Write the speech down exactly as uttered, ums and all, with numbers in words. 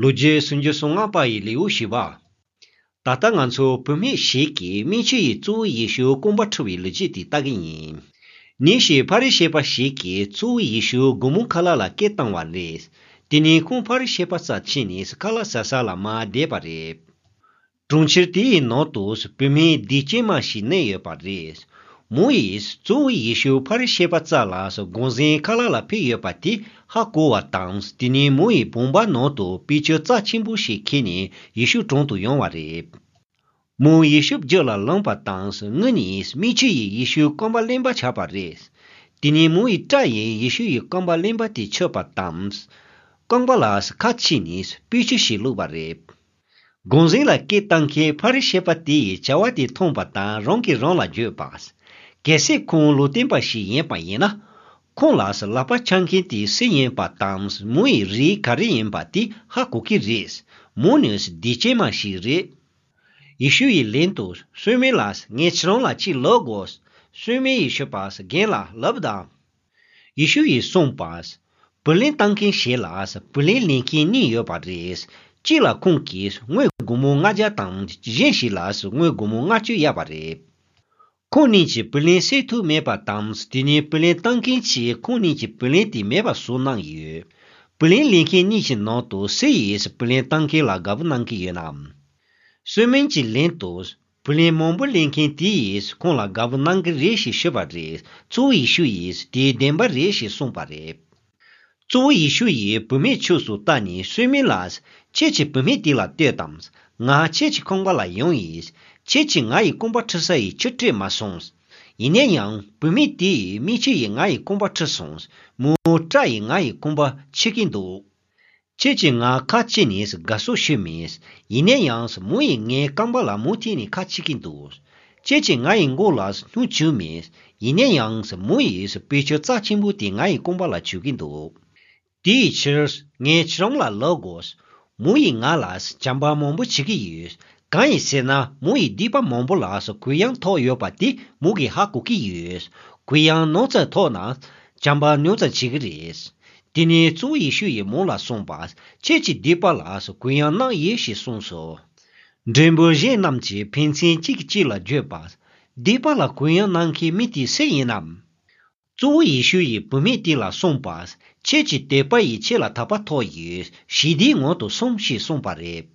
ལོ་རྒྱུས་སུམ་ཅུ་སོ་ལྔ་པ་ཡི་ལེའུ་བཞི་པ། ད་ལྟ་ང་ཚོ་བུད་མེད་ཞིག་གིས་སྨན་བཅོས་ཡི་གཙོ་བོ་ཡེ་ཤུ་རྐང་པ་འཁྲུ་བའི་ལོ་རྒྱུས་དེ་ལྟ་གི་ཡིན། ཉིན་ཞིག་ཕ་རི་ཤི་པ་ཞིག་གིས་གཙོ་བོ་ཡེ་ཤུ་སྒོར་མོ་ཁ་ལག་ལ་སྐད་བཏང་བ་རེད། དེ་ནས་ཁོང་ཕ་རི་ཤི་པ་རྩར་ཕྱིན་ནས་ཁ་ལག་ཟ་ས་ལ་མར་བསྡད་པ་རེད། གྲོང་ཁྱེར་དེ་ཡི་ནང་དུ་བུད་མེད་སྡིག་ཅན་མ་ཞིག་གནས་ཡོད་པ་རེད། མོ་ཡིས་གཙོ་བོ་ཡེ་ཤུ་ཕ་རི་ཤི་པ་རྩ་ལ་དགོངས་ཟིན་ཁ་ལག་ལ་ཕུལ་ཡོད་པ་དེ་ཧ་གོ་བ་དང་། དེ་ནས་མོ་ཡི་བུམ་པ་ནང་དུ་དཔེ་ཆ་རྩ་ཆེན་པོ་ཞིག་ཁྱེར་ནས་ཡེ་ཤུ་དྲུང་དུ་ཡོང་བ་རེད། མོ་ཡེ་ཤུ་རྒྱུད་ལ་ལངས་པ་དང་། སྔོན་ནས་སྨན་བཅོས་ཡི་ཡེ་ཤུ་རྐང་པ་ལེན་པ་བྱས་པ་རེད། དེ་ནས་མོ་ཡི་སྐྲ་ཡིས་ཡེ་ཤུ་ཡི་རྐང་པ་ལེན་པ་དེ་ཆོད་པ་དང་། རྐང་པ་ལ་ཁ་ཕྱེ་ནས་སྤོས་ཆུ་ཞིག་བླུགས་པ་རེད། དགོངས་ཟིན་ལ་སྐད་བཏང་མཁན་ཕ་རི་ཤི་པ་དེ་ཡི་བྱ་བ་དེ་མཐོང་བ་དང་། རང་གིས་རང་ལ་བརྗོད་པ། གལ་སྲིད་ཁོང་ལུང་སྟོན་པ་ཞིག་ཡིན་པ་ཡིན་ན། ཁོང་ལ་ལག་པ་འཆང་མཁན་དེ་སུ་ཡིན་པ་དང་། མོ་ཡི་རིགས་ག་རེ་ཡིན་པ་དེ་ཧ་གོ་གི་རེད། མོ་ནི་སྡིག་ཅན་མ་ཞིག་རེད། ཡེ་ཤུ་ཡིས་ལན་དུ། གསོལ་སྨན་ལགས། ངས་ཁྱེད་རང་ལ་གཅིག་ལབ་དགོས། གསོལ་སྨན་ཡིས་ཞུས་པ། རྒན་ལགས། ལབ་དང་། ཡེ་ཤུ་ཡིས་གསུངས་པ། བུ་ལོན་བཏང་མཁན་ཞིག་ལ་བུ་ལོན་ལེན་མཁན་གཉིས་ཡོད་པ་རེད། གཅིག་ལ་ཁོང་གིས་དངུལ་སྒོར་མོ་ལྔ་བརྒྱ་དང་། གཞན་ཞིག་ལ་དངུལ་སྒོར་མོ་ལྔ་བཅུ་གཡར་བ་རེད། ཁོང་གཉིས་ཀྱིས་བུ་ལོན་སེལ་ཐུབ་མེད་པ་དང་། དེ་ནས་བུ་ལོན་བཏང་མཁན་གྱིས་ཁོང་གཉིས་ཀྱི་བུ་ལོན་དེ་མེད་པ་བཟོ་གནང་ཡོད། བུ་ལོན་ལེན་མཁན་གཉིས་ཀྱི་ནང་དུ་སུ་ཡིས་བུ་ལོན་བཏང་མཁན་ལ་དགའ་པོ་གནང་གི་ཡོད་ནམ། གསོལ་སྨན་གྱི་ལན་དུ། བུ་ལོན་མང་པོ་ལེན་མཁན་དེ་ཡིས་ཁོང་ལ་དགའ་པོ་གནང་གི་རེད་ཞེས་ཞུས་པ་རེད། གཙོ་བོ་ཡེ་ཤུ་ཡིས་དེ་བདེན་པ་རེད་ཞེས་གསུངས་པ་རེད། གཙོ་བོ་ཡེ་ཤུ་ཡིས་བུད་མེད་ཕྱོགས་སུ་ལྟ་ནས། གསོལ་སྨན་ལགས། ཁྱེད་ཀྱིས་བུད་མེད་དེ་ལ་ལྟོས་དང་། ང་ཁྱེད་ཀྱི་ཁང་པ་ལ་ཡོང་ཡིན། ཁྱེད་ཀྱིས་ང་ཡི་རྐང་པ་འཁྲུ་ས་ཡི་ཆུ་སྤྲད་མ་སོང་། ཡིན་ན་ཡང་བུད་མེད་དེ་ཡིས་སྨན་བཅོས་ཡིས་ང་ཡི་རྐང་པ་འཁྲུ་སོང་། མོའི་སྐྲ་ཡིས་ང་ཡི་རྐང་པ་ཕྱིས་ཀྱིན་འདུག་ཁྱེད་ཀྱིས་ང་ཁ་ཕྱེ་ནས་དགའ་བསུ་ཞུས་མེད། ཡིན་ན་ཡང་མོ་ཡིས་ངའི་རྐང་པ་ལ་མུ་མཐུད་ནས་ཁ་ཕྱེ་གིན་འདུག་ཁྱེད་ཀྱིས་ང་ཡི་མགོ་ལ་སྣུམ་བྱུགས་མེད། ཡིན་ན་ཡང་མོ་ཡིས་དཔེ་ཆ་རྩ་ཆེན་པོ་དེ་ང་ཡི་རྐང་པ་ལ་བྱུག་གིན་འདུག་དེའི་ཕྱིར་ངས་ཁྱེད་རང་ལ་ལབ་དགོས། མོ་ཡིས་ང་ལ་བྱམས་པ་མང་པོ་བྱེད་ཀྱི་ཡོད། གང་ཡིན་ཟེར་ན། མོ་ཡིས་སྡིག་པ་མང་པོ་ལ་གུ་ཡངས་ཐོབ་ཡོད་པ་དེ་མོ་གིས་ཧ་གོ་གི་ཡོད། གུ་ཡངས་ཉུང་ཙམ་ཐོབ་ན་བྱམས་པ་ཉུང་ཙམ་བྱེད་ཀྱི་རེད། དེ་ནས་གཙོ་བོ་ཡེ་ཤུ་ཡིས་མོ་ལ་གསུངས་པ། ཁྱེད་ཀྱིས་སྡིག་པ་ལ་གུ་ཡངས་གནང་ཡིན་ཞེས་གསུངས་སོ། མགྲོན་པོ་གཞན་རྣམས་ཀྱིས་ཕན་ཚུན་གཅིག་གིས་གཅིག་ལ་བརྗོད་པ། སྡིག་པ་ལ་གུ་ཡངས་གནང་མཁན་མི་དེ་སུ་ཡིན་ནམ། གཙོ་བོ་ཡེ་ཤུ་ཡིས་བུད་མེད་དེ་ལ་གསུངས་པ། ཁྱེད་ཀྱི་དད་པ་ཡིས་ཁྱེད་ལ་ཐར་པ་ཐོབ་ཡོད། ཞི་བདེའི་ངང་དུ་སོང་ཞེས་གསུངས་པ་རེད།